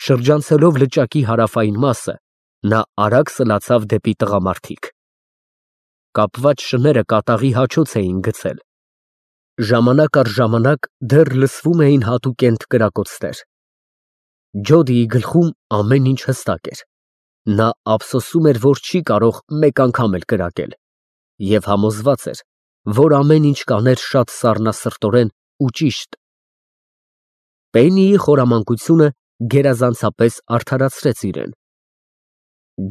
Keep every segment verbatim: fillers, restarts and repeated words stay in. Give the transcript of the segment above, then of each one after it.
Շրջանցելով լճակի հարավային մասը, նա արագ սլացավ դեպի տղամարդիկ։ Կապված շները կատաղի հաչոց էին գցել։ Ժամանակ առ ժամանակ դեռ լսվում էին հատուկենտ կրակոցներ։ Ջոդիի գլխում ամեն ինչ հստակ էր։ Նա ափսոսում էր, որ չի կարող մեկ անգամ էլ կրակել, և համոզված էր, որ ամեն ինչ կաներ շատ սառնասրտորեն ու ճիշտ։ Պեննիի խորամանկությունը գերազանցապես արդարացրեց իրեն։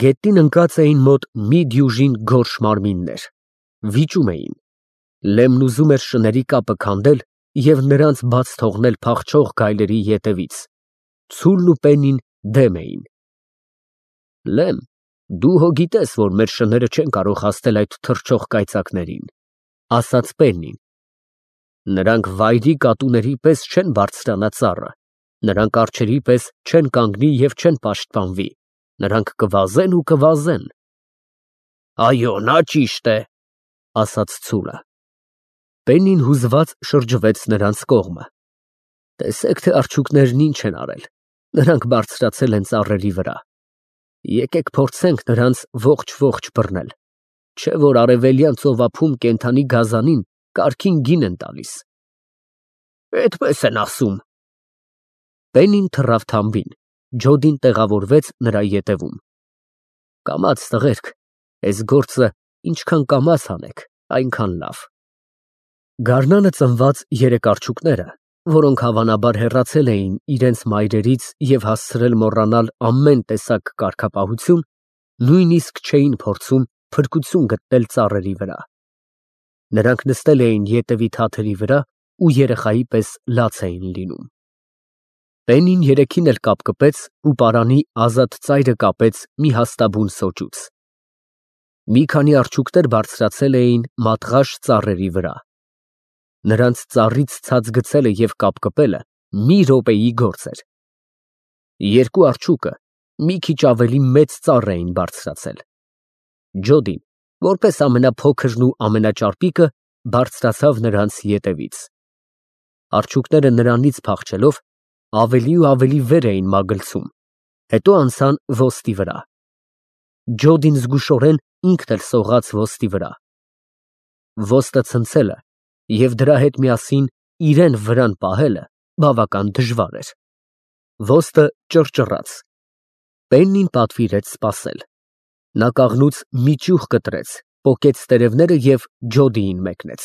Գետնին ընկած էին մոտ մի դյուժին գորշ մարմիններ, վիճում էին։ Լեմն ուզում էր շների կապը քանդել և նրանց բաց թողնել փախչող գայլերի ետևից։ Ցուլն ու Պեննին դեմ էին։ Լեմ, դու հո գիտես, որ մեր շները չեն կարող հասնել այդ թռչող կայծակներին, ասաց Պեննին։ Նրանք վայրի կատուների պես չեն բարձրանա ծառը, նրանք արջերի պես չեն կանգնի և չեն պաշտպանվի, նրանք կվազեն ու կվազեն։ Այո, նա ճիշտ է, ասաց ցուլը։ Պեննին հուզված շրջվեց նրանց կողմը։ Տեսեք, թե արջուկներն ինչ են արել, նրանք բարձրացել են ծառերի վրա։ Եկեք փորձենք նրանց ողջ֊ողջ բռնել, չէ որ արևելյան ծովափում կենդանի գազանին կարգին գին են տալիս։ Այդպես են ասում։ Պեննին թռավ թամբին, Ջոդին տեղավորվեց նրա ետևում։ Կամաց, տղերք, այս գործը ինչքան կամաց անեք, այնքան լավ։ Գարնանը ծնված երեք արջուկները, որոնք հավանաբար հեռացել էին իրենց մայրերից և հասցրել մոռանալ ամեն տեսակ կարգապահություն, նույնիսկ չէին փորձում փրկություն գտնել ծառերի վրա։ Նրանք նստել էին ետևի թաթերի վրա ու երեխայի պես լաց էին լինում։ Պեննին երեքին էլ կապկպեց ու պարանի ազատ ծայրը կապեց մի հաստաբուն սոճուց։ Մի քանի արջուկներ բարձրացել էին մատղաշ ծառերի վրա։ Նրանց ծառից ցած գցելը և կապկպելը մի րոպեի գործ էր։ Երկու արջուկը մի քիչ ավելի մեծ ծառ էին բարձրացել։ Ջոդին, որպես ամենափոքրն ու ամենաճարպիկը, բարձրացավ նրանց ետևից։ Արջուկները նրանից փախչելով, ավելի ու ավելի վեր էին մագլցում, հետո անցան ոստի վրա։ Ջոդին զգուշորեն ինքն էլ սողաց ոստի վրա։ Ոստը ցնցելը և դրա հետ միասին իրեն վրան պահելը բավական դժվար էր։ Ոստը ճռճռաց։ Պեննին պատվիրեց սպասել։ Նա կաղնուց մի ճյուղ կտրեց, պոկեց տերևները և Ջոդիին մեկնեց։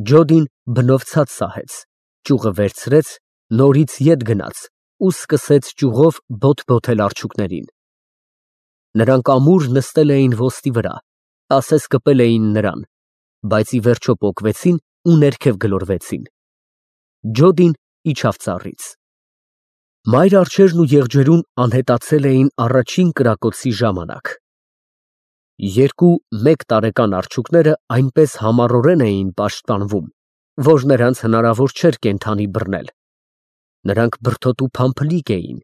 Ջոդին բնով ցած սահեց, ճյուղը վերցրեց, նորից ետ գնաց ու սկսեց ճյուղով բոթ֊բոթել արջուկներին։ Նրանք ամուր նստել էին ոստի վրա, ասես կպել էին նրան, բայց ի վերջո պոկվեցին ու ներքև գլորվեցին։ Ջոդին իջավ ծառից։ Մայր արջերն ու եղջերուն անհետացել էին առաջին կրակոցի ժամանակ։ Երկու մեկ տարեկան արջուկները այնպես համառորեն էին պաշտպանվում, որ նրանց հնարավոր չէր կենդանի բռնել։ Նրանք բրդոտ ու փամփլիկ էին,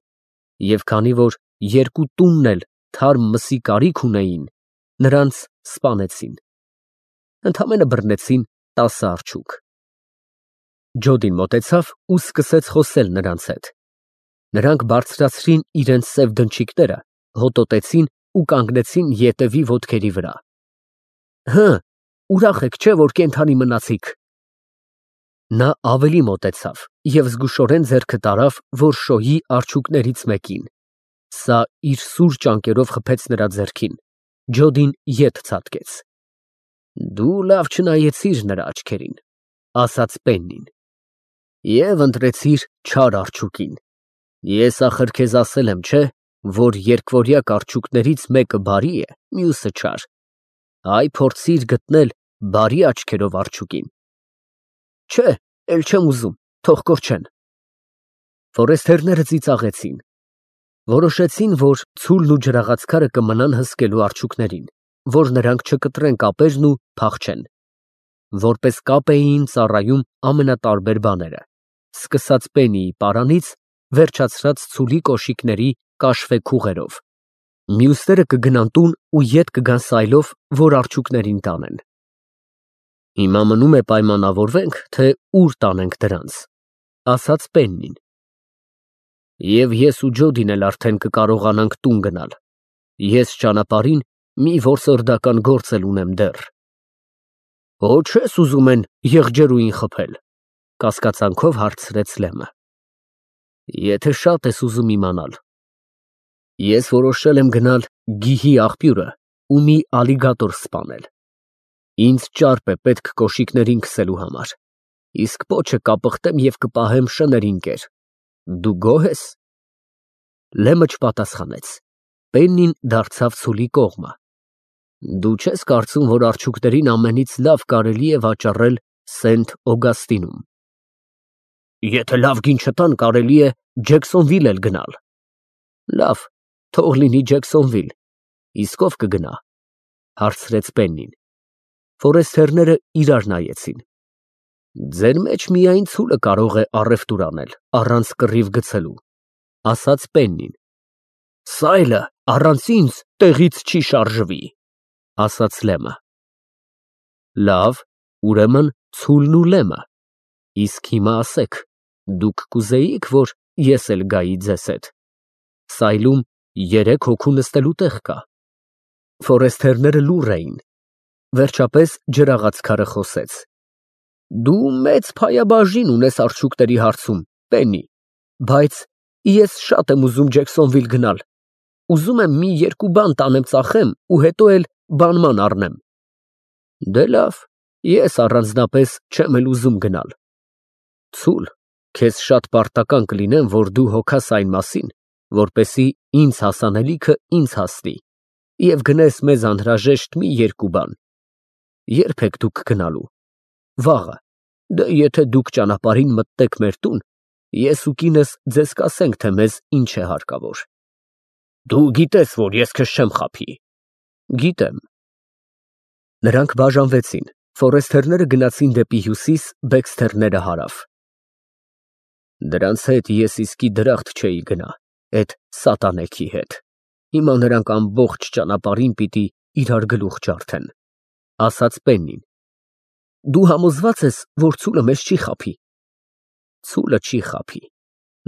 և քանի որ երկու տունն էլ թարմ մսի կարիք ունեին, նրանց սպանեցին։ Ընդամենը բռնեցին տասը արջուկ։ Ջոդին մոտեցավ ու սկսեց խոսել նրանց հետ։ Նրանք բարձրացրին իրենց սև դնչիկները, հոտոտեցին ու կանգնեցին ետևի ոտքերի վրա։ Հը, ուրախ եք, չէ՞ որ կենդանի մնացիք։ Նա ավելի մոտեցավ և զգուշորեն ձեռքը տարավ, որ շոյի արջուկներից մեկին։ Սա իր սուր ճանկերով խփեց նրա ձեռքին։ Ջոդին ետ ցատկեց։ Դու լավ չնայեցիր նրա աչքերին, ասաց Պեննին, և ընտրեցիր չար արջուկին։ Ես ախր քեզ ասել եմ, չէ՞, որ երկվորյակ արջուկներից մեկը բարի է, մյուսը չար։ Այ փորձիր գտնել բարի աչքերով արջուկին։ Չէ, էլ չեմ ուզում, թող կորչեն։ Ֆորեստերները ծիծաղեցին։ Որոշեցին, որ ցուլն ու ջրաղացքարը կմնան հսկելու արջուկներին, որ նրանք չկտրեն կապերն ու փախչեն։ Որպես կապ էին ծառայում ամենատարբեր բաները, սկսած Պեննիի պարանից, վերջացրած ցուլի կոշիկների կաշվե քուղերով։ Մյուսները կգնան տուն ու ետ կգան սայլով, որ արջուկներին տանեն։ Հիմա մնում է պայմանավորվենք, թե ուր տանենք դրանց, ասաց Պեննին։ Եվ ես ու Ջոդին էլ արդեն կկարողանանք տուն գնալ։ Ես ճանապարհին մի որսորդական գործ էլ ունեմ դեռ։ Ոչ ես ուզում են եղջերուին խփել, կասկածանքով հարցրեց Լեմը։ Եթե շատ ես ուզում իմանալ, ես որոշել եմ գնալ Գիհի աղբյուրը ու մի ալիգատոր սպանել։ Ինձ ճարպ է պետք կոշիկներին քսելու համար, իսկ պոչը կապղտեմ և կպահեմ շներին կեր։ Դու գոհ ես։ Լեմը չպատասխանեց։ Պեննին դարձավ ցուլի կողմը։ Դու չես կարծում, որ արջուկներին ամենից լավ կարելի է վաճառել Սենթ Օգաստինում։ Եթե լավ գին չտան, կարելի է Ջեքսոնվիլ էլ գնալ։ Լավ, թող լինի Ջեքսոնվիլ, իսկ ով կգնա, հարցրեց Պեննին։ Ֆորեստերները իրար նայեցին։ Ձեր մեջ միայն ցուլը կարող է առևտուր անել, առանց կռիվ գցելու, ասաց Պեննին։ Սայլը առանց ինձ տեղից չի շարժվի, ասաց Լեմը։ Լավ, ուրեմն ցուլն ու Լեմը, իսկ հիմա ասեք, դուք կուզեիք, որ ես էլ գայի ձեզ հետ։ Սայլում երեք հոգու նստելու տեղ կա։ Ֆորեստերները լուռ էին։ Վերջապես ջրաղացքարը խոսեց. Դու մեծ փայաբաժին ունես արջուկների հարցում, Պեննի, բայց ես շատ եմ ուզում Ջեքսոնվիլ գնալ։ Ուզում եմ մի երկու բան տանեմ ծախեմ ու հետո էլ բանման առնեմ։ Դե լավ, ես առանձնապես չեմ էլ ուզում գնալ։ Ցուլ, քեզ շատ պարտական կլինեմ, որ դու հոգաս այն մասին, որպեսզի ինձ հասանելիքը ինձ հասնի, և գնես մեզ անհրաժեշտ մի երկու բան։ Ե՞րբ եք դուք գնալու։ Վաղը, դե եթե դուք ճանապարհին մտնեք մեր տուն, ես ու կինս ձեզ կասենք, թե մեզ ինչ է հարկավոր։ Դու գիտես, որ ես քեզ չեմ խաբի։ Գիտեմ։ Նրանք բաժանվեցին, ֆորեստերները գնացին դեպի հյուսիս, բեքսթերները հարավ։ Դրանց հետ ես իսկի դրախտ չէի գնա, էդ սատանեքի հետ։ Հիմա նրանք ամբողջ ճանապարհին պիտի իրար գլուխ ջարդեն, ասաց Պեննին։ Դու համոզված ես, որ ցուլը մեզ չի խաբի։ Ցուլը չի խաբի։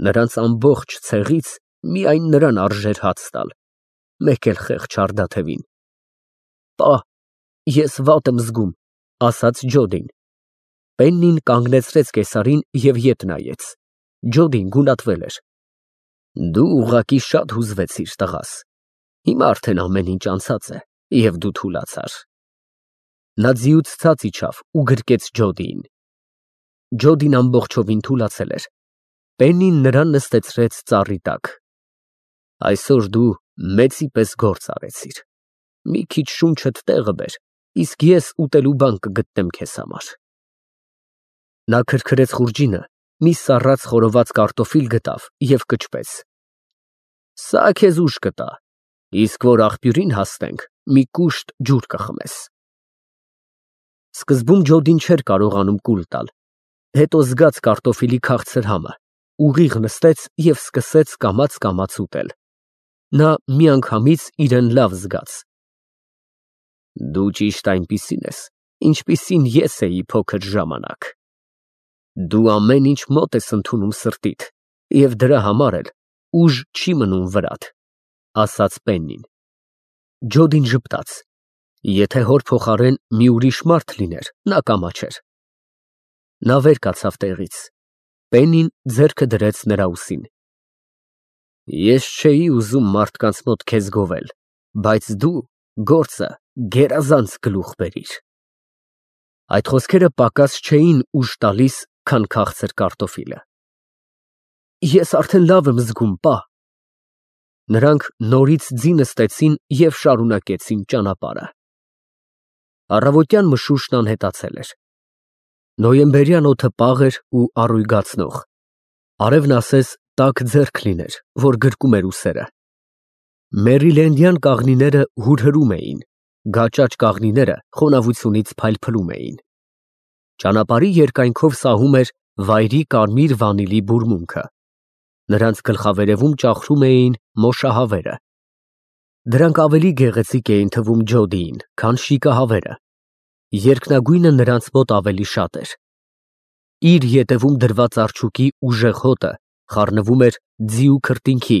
Նրանց ամբողջ ցեղից միայն նրան արժեր հաց տալ, մեկ էլ խեղճ Արդաթևին։ Պա, ես վատ եմ զգում, ասաց Ջոդին։ Պեննին կանգնեցրեց կեսարին և ետ նայեց։ Ջոդին գունատվել էր։ Դու ուղղակի շատ հուզվեցիր, տղաս։ Հիմա արդեն ամեն ինչ անցած է, և դու թուլացար։ Նա ձիուց ցած իջավ ու գրկեց Ջոդիին։ Ջոդին ամբողջովին թուլացել էր։ Պեննին նրան նստեցրեց ծառի տակ։ Այսօր դու մեծի պես գործ արեցիր։ Մի քիչ շունչդ տեղը բեր, իսկ ես ուտելու բան կգտնեմ քեզ համար։ Նա քրքրեց խուրջինը, մի սառած խորոված կարտոֆիլ գտավ և կճպեց։ Սա քեզ ուժ կտա, իսկ որ աղբյուրին հասնենք, մի կուշտ ջուր կխմես։ Սկզբում Ջոդին չէր կարողանում կուլ տալ, հետո զգաց կարտոֆիլի քաղցր համը, ուղիղ նստեց և սկսեց կամաց֊կամաց ուտել։ Նա միանգամից իրեն լավ զգաց։ Դու ճիշտ այնպիսին ես, ինչպիսին ես էի փոքր ժամանակ։ Դու ամեն ինչ մոտ ես ընդունում սրտիդ, և դրա համար էլ ուժ չի մնում վրադ, ասաց Պեննին։ Ջոդին ժպտաց։ Եթե հոր փոխարեն մի ուրիշ մարդ լիներ, նա կամաչեր։ Նա վեր կացավ տեղից։ Պեննին ձեռքը դրեց նրա ուսին։ Ես չէի ուզում մարդկանց մոտ քեզ գովել, բայց դու գործը գերազանց գլուխ բերիր։ Այդ խոսքերը պակաս չէին ուժ տալիս, քան քաղցր կարտոֆիլը։ Ես արդեն լավ եմ զգում, պա։ Նրանք նորից ձի նստեցին և շարունակեցին ճանապարհը։ Առավոտյան մշուշն անհետացել էր։ Նոյեմբերյան օդը պաղ էր ու առույգացնող։ Արևն ասես տաք ձեռք լիներ, որ գրկում էր ուսերը։ Մերիլենդյան կաղնիները հուրհրում էին, գաճաճ կաղնիները խոնավությունից փայլփլում էին։ Ճանապարհի երկայնքով սահում էր վայրի կարմիր վանիլի բուրմունքը։ Նրանց գլխավերևում ճախրում էին մոշահավերը։ Դրանք ավելի գեղեցիկ էին թվում Ջոդիին, քան շիկահավերը։ Երկնագույնը նրանց մոտ ավելի շատ էր։ Իր ետևում դրված արջուկի ուժեղ հոտը խառնվում էր ձի ու քրտինքի,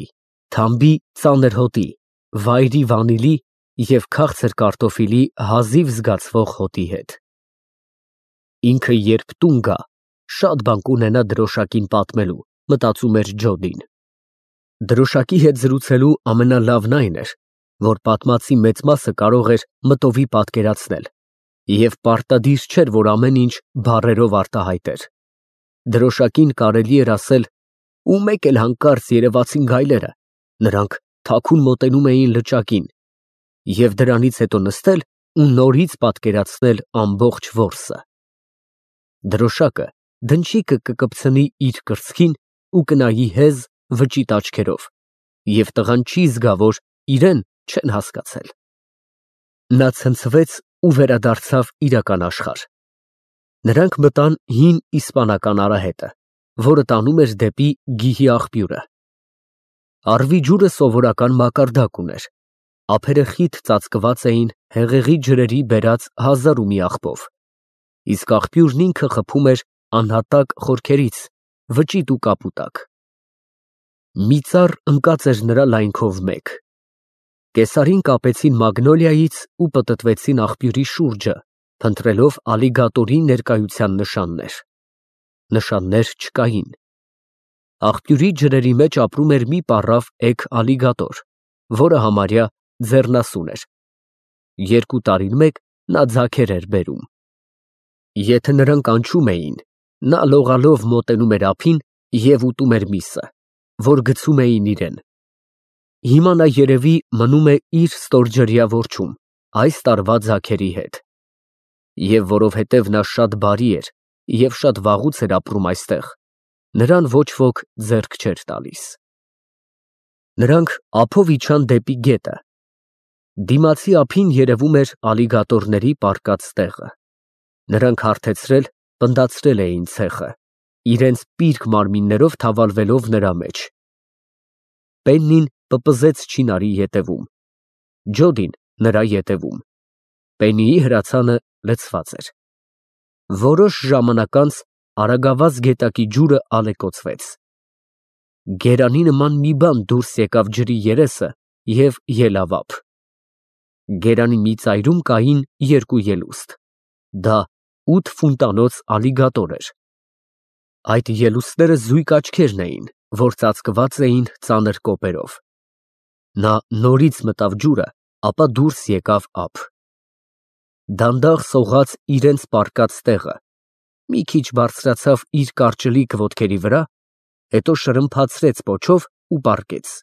թամբի ծանր հոտի, վայրի վանիլի և քաղցր կարտոֆիլի հազիվ զգացվող հոտի հետ։ Ինքը երբ տուն գա, շատ բան կունենա դրոշակին պատմելու, մտածում էր Ջոդին։ Դրոշակի հետ զրուցելու ամենալավն այն էր, որ պատմածի մեծ մասը կարող էր մտովի պատկերացնել, և պարտադիր չէր, որ ամեն ինչ բառերով արտահայտեր։ Դրոշակին կարելի էր ասել, ու մեկ էլ հանկարծ երևացին գայլերը, նրանք թաքուն մոտենում էին լճակին, և դրանից հետո նստել ու նորից պատկերացնել ամբողջ որսը։ Դրոշակը դնչիկը կկպցնի իր կրծքին ու կնայի հեզ վճիտ աչքերով, և տղան չի զգա, որ իրեն չեն հասկացել։ Նա ցնցվեց ու վերադարձավ իրական աշխարհ։ Նրանք մտան հին իսպանական արահետը, որը տանում էր դեպի գիհի աղբյուրը։ Առվի ջուրը սովորական մակարդակ ուներ, ափերը խիտ ծածկված էին հեղեղի ջրերի բերած հազար ու մի աղբով, իսկ աղբյուրն ինքը խփում էր անհատակ խորքերից, վճիտ ու կապուտակ։ Մի ծառ ընկած էր նրա լայնքով մեկ։ Կեսարին կապեցին մագնոլիայից ու պտտվեցին աղբյուրի շուրջը, փնտրելով ալիգատորի ներկայության նշաններ։ Նշաններ չկային։ Աղբյուրի ջրերի մեջ ապրում էր մի պառավ էգ ալիգատոր, որը համարյա ձեռնասուն էր։ Երկու տարին մեկ նա ձագեր էր բերում։ Եթե նրան կանչում էին, նա լողալով մոտենում էր ափին և ուտում էր միսը, որ գցում էին իրեն։ Հիմա նա երևի մնում է իր ստորջրյա որջում, այս տարվա ձագերի հետ։ Եվ որովհետև նա շատ բարի էր և շատ վաղուց էր ապրում այստեղ, նրան ոչ ոք ձեռք չէր տալիս։ Նրանք ափով իջան դեպի գետը։ Դիմացի ափին երևում էր ալիգատորների պառկած տեղը։ Նրանք հարթեցրել, պնդացրել էին ցեխը, իրենց պիրկ մարմիններով թավալվելով նրա մեջ։ Պեննին պպզեց չինարի ետևում, Ջոդին նրա ետևում։ Պեննիի հրացանը լցված էր։ Որոշ ժամանակ անց արագավազ գետակի ջուրը ալեկոծվեց։ Գերանի նման մի բան դուրս եկավ ջրի երեսը և ելավ ափ։ Գերանի մի ծայրում կային երկու ելուստ։ Դա ութ ֆունտանոց ալիգատոր էր։ Այդ ելուստները զույգ աչքերն էին, որ ծածկված էին ծանր կոպերով։ Նա նորից մտավ ջուրը, ապա դուրս եկավ ափ։ Դանդաղ սողաց իրենց պառկած տեղը, մի քիչ բարձրացավ իր կարճլիկ ոտքերի վրա, հետո շրմփացրեց պոչով ու պառկեց։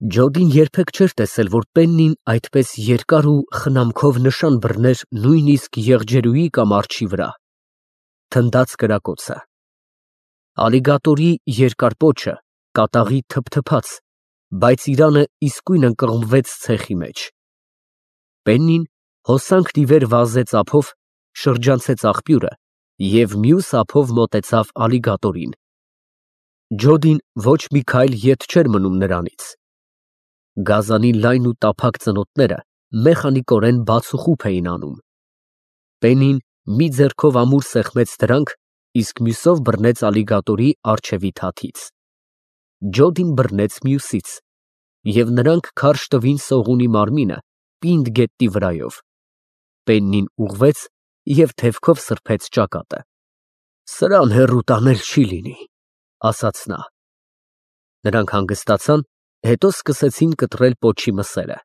Ջոդին երբեք չէր տեսել, որ Պեննին այդպես երկար ու խնամքով նշան բռներ նույնիսկ եղջերուի կամ արջի վրա։ Թնդաց կրակոցը։ Ալիգատորի երկար պոչը կատաղի թփթփաց, բայց իրանը իսկույն ընկղմվեց ցեխի մեջ։ Պեննին հոսանքն ի վեր վազեց ափով, շրջանցեց աղբյուրը և մյուս ափով մոտեցավ ալիգատորին։ Ջոդին ոչ մի քայլ ետ չէր մնում նրանից։ Գազանի լայն ու տափակ ծնոտները մեխանիկորեն բացուխուփ էին անում։ Պեննին մի ձեռքով ամուր սեղմեց դրանք, իսկ մյուսով բռնեց ալիգատորի առջևի թաթից։ Ջոդին բռնեց մյուսից, և նրանք քարշ տվին սողունի մարմինը պինդ գետնի վրայով։ Պեննին ուղղվեց և թևքով սրբեց ճակատը։ Սրան հեռու տանել չի լինի, ասաց նա։ Նրանք հանգստացան, հետո սկսեցին կտրել պոչի մսերը։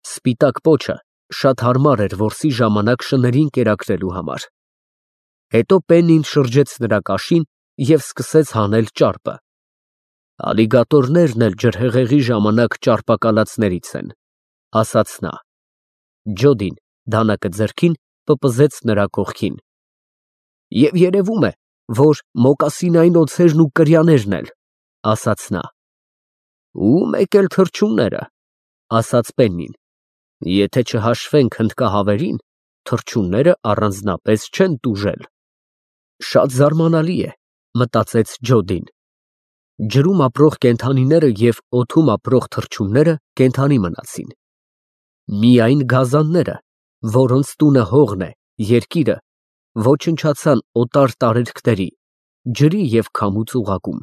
Սպիտակ պոչը շատ հարմար էր որսի ժամանակ շներին կերակրելու համար։ Հետո Պեննին շրջեց նրա կաշին և սկսեց հանել ճարպը։ Ալիգատորներն էլ ջրհեղեղի ժամանակ ճարպակալածներից են, ասաց նա։ Ջոդին դանակը ձեռքին պպզեց նրա կողքին։ Եվ երևում է, որ մոկասինային օձերն ու կրյաներն էլ, ասաց նա։ Ու մեկ էլ թռչունները, ասաց Պեննին։ Եթե չհաշվենք հնդկահավերին, թռչունները առանձնապես չեն տուժել։ Շատ զարմանալի է, մտածեց Ջոդին։ Ջրում ապրող կենդանիները և օդում ապրող թռչունները կենդանի մնացին։ Միայն գազանները, որոնց տունը հողն է, երկիրը, ոչնչացան օտար տարերքների, ջրի և քամու ծուղակում։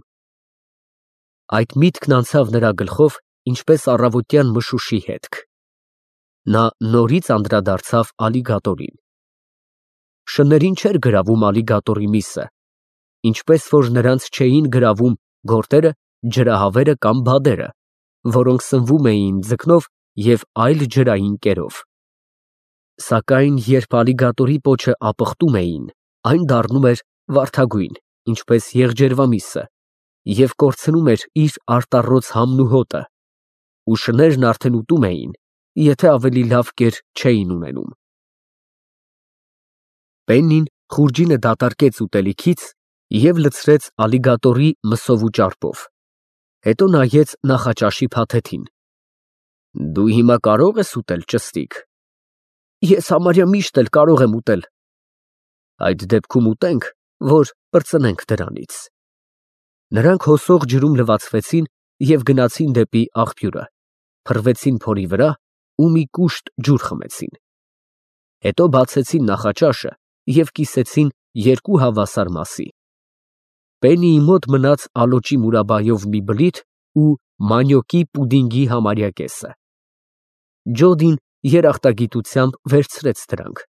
Այդ միտքն անցավ նրա գլխով, ինչպես առավոտյան մշուշի հետք։ Նա նորից անդրադարձավ ալիգատորին։ Շներին չէր գրավում ալիգատորի միսը, ինչպես որ նրանց չէին գրավում գորտերը, ջրահավերը կամ բադերը, որոնք սնվում էին ձկնով և այլ ջրային կերով։ Սակայն երբ ալիգատորի պոչը ապխտում էին, այն դառնում էր վարդագույն, ինչպես եղջերվամիսը, և կորցնում էր իր արտառոց համն ու հոտը, ու շներն արդեն ուտում էին, եթե ավելի լավ կեր չէին ունենում։ Պեննին խուրջինը դատարկեց ուտելիքից և լցրեց ալիգատորի մսով ու ճարպով, հետո նայեց նախաճաշի փաթեթին։ Դու հիմա կարո՞ղ ես ուտել, ճստիկ։ Ես համարյա միշտ էլ կարող եմ ուտել։ Այդ դեպքում ուտենք, որ պրծնենք դրանից։ Նրանք հոսող ջրում լվացվեցին և գնացին դեպի աղբյուրը, փռվեցին փորի վրա ու մի կուշտ ջուր խմեցին։ Հետո բացեցին նախաճաշը և կիսեցին երկու հավասար մասի։ Պեննիի մոտ մնաց ալոճի մուրաբայով մի բլիթ ու մանյոկի պուդինգի համարյա կեսը։ Ջոդին երախտագիտությամբ վերցրեց դրանք։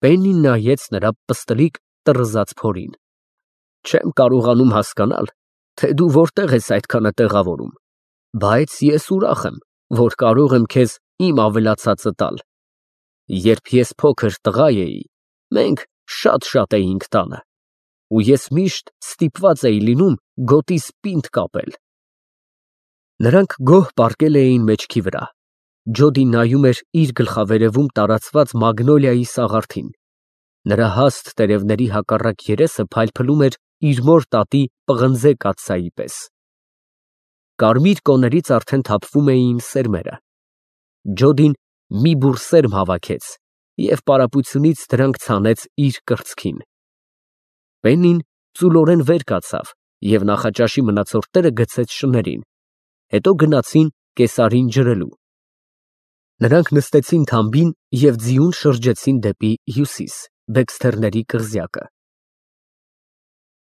Պեննին նայեց նրա պստլիկ տռզած փորին։ Չեմ կարողանում հասկանալ, թե դու որտեղ ես այդքանը տեղավորում, բայց ես ուրախ եմ, որ կարող եմ քեզ իմ ավելացածը տալ։ Երբ ես փոքր տղա էի, մենք շատ֊շատ էինք տանը, ու ես միշտ ստիպված էի լինում գոտիս պինդ կապել։ Նրանք գոհ պառկել էին մեջքի վրա։ Ջոդին նայում էր իր գլխավերևում տարածված մագնոլիայի սաղարթին։ Նրա հաստ տերևների հակառակ երեսը փայլփլում էր իր մոր տատի պղնձե կաթսայի պես։ Կարմիր կոներից արդեն թափվում էին սերմերը։ Ջոդին մի բուռ սերմ հավաքեց և պարապությունից դրանք ցանեց իր կրծքին։ Պեննին ծուլորեն վեր կացավ և նախաճաշի մնացորդները գցեց շներին, հետո գնացին կեսարին ջրելու։ Նրանք նստեցին թամբին և ձիուն շրջեցին դեպի հյուսիս, Բեքսթերների կղզյակը։